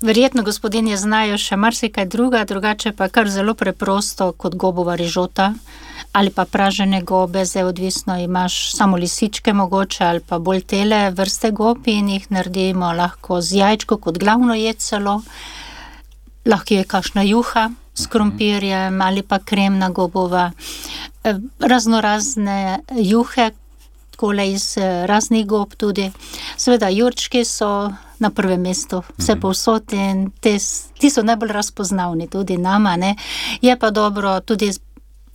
Verjetno gospodinje znajo še marsikaj drugače pa kar zelo preprosto kot gobova rižota ali pa pražene gobe, zdaj odvisno imaš samo lisičke mogoče ali pa bolj tele vrste gob in jih naredimo lahko z jajčko kot glavno jed celo. Lahko je kakšna juha s krompirjem ali pa kremna gobova. Raznorazne juhe, takole iz raznih gob tudi. Seveda jurčki so na prvem mestu, vse povsod in ti so najbolj razpoznavni tudi nama, ne. Je pa dobro tudi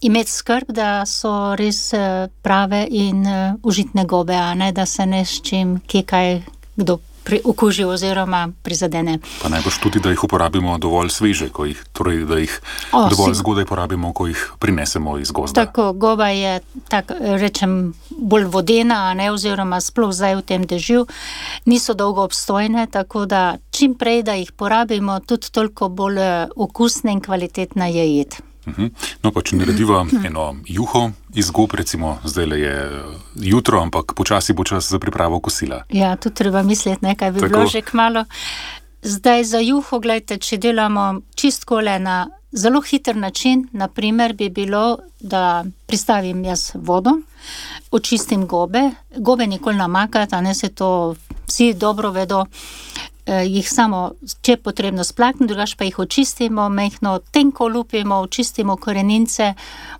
imeti skrb, da so res prave in užitne gobe, a ne, da se ne s čim kaj kdo okuži oziroma prizadene. Pa najbrž tudi, da jih uporabimo dovolj sveže, torej da jih dovolj zgodaj porabimo, ko jih prinesemo iz gozda. Tako, goba je, rečem, bolj vodena, a ne, oziroma sploh zdaj v tem dežju, niso dolgo obstojne, tako da čim prej, da jih porabimo, tudi toliko bolj okusna in kvalitetna je jed. No, pa če narediva eno juho iz gob, recimo zdajle je jutro, ampak počasi bo čas za pripravo kosila. Ja, tu treba misliti, nekaj bi bilo že kmalu. Zdaj za juho, gledajte, če delamo čistkole na zelo hiter način, na primer bi bilo, da pristavim jaz vodo, očistim gobe nikoli namakati, a ne, se to vsi dobro vedo, jih samo, če je potrebno splakniti, drugače pa jih očistimo, majhno tenko lupimo, očistimo korenince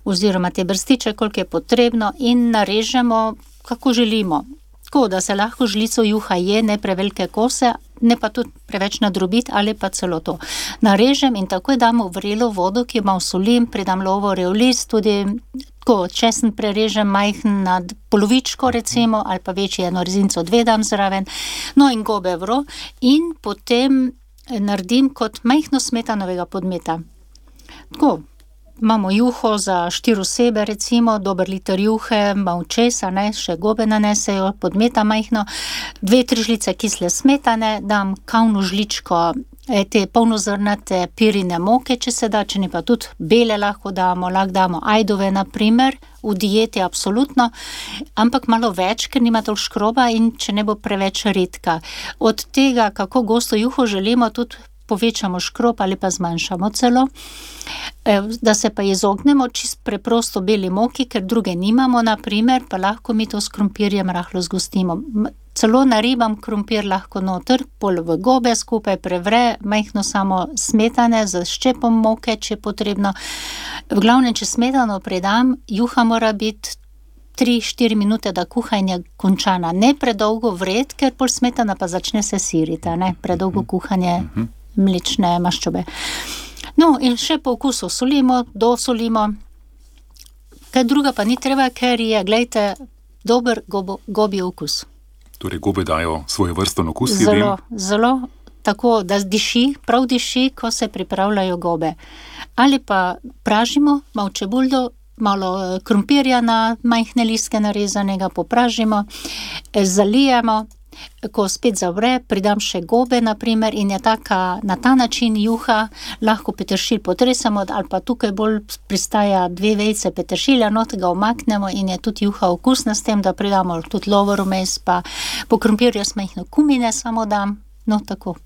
oziroma te brstiče, koliko je potrebno in narežemo, kako želimo. Tako, da se lahko žlico juha je, ne prevelike kose, ne pa tudi preveč nadrobiti ali pa celo to. Narežem in takoj damo v vrelo vodo, ki jo malo solim, pridam lovo reolist, tudi tako česen prerežem majhen na polovičko recimo, ali pa večji eno rezinco dve dam zraven, no in gobe vro in potem naredim kot majhno smetanovega podmeta. Tako, imamo juho za 4 osebe recimo, dober liter juhe, malo česa, ne, še gobe nanesejo, podmeta majhno, 2-3 žlice kisle smetane, dam kavno žličko te polnozrnate pirine moke, če se da, če ne pa tudi bele lahko damo ajdove na primer, v dieti absolutno, ampak malo več, ker nima toliko škroba in če ne bo preveč redka. Od tega, kako gosto juho želimo, tudi povečamo škrob ali pa zmanjšamo celo, da se pa izognemo čist preprosto beli moki, ker druge nimamo, na primer, pa lahko mi to s krompirjem rahlo zgostimo. Celo naribam krompir lahko noter, pol v gobe skupaj prevre, majhno samo smetane z ščepom moke, če je potrebno. V glavnem, če smetano predam, juha mora biti 3-4 minute, da kuhanje končana. Ne predolgo vred, ker pol smetana pa začne se siriti, ne? Predolgo kuhanje mlečne maščobe. No, in še po okusu solimo, dosolimo. Kaj druga pa ni treba, ker je, glejte, dober gobji okus. Torej, gobe dajo svoj vrsten okus. Zelo, tako, da prav diši, ko se pripravljajo gobe. Ali pa pražimo, malo čebuljo, malo krompirja na majhne listke narezanega, popražimo, zalijemo, ko spet zavre, pridam še gobe, na primer, in je na ta način juha, lahko peteršilj potresamo, ali pa tukaj bolj pristaja 2 vejice peteršilja, not ga umaknemo in je tudi juha okusna s tem, da pridamo tudi lovor vmes, pa po krompirju majhno kumine samo dam, no tako.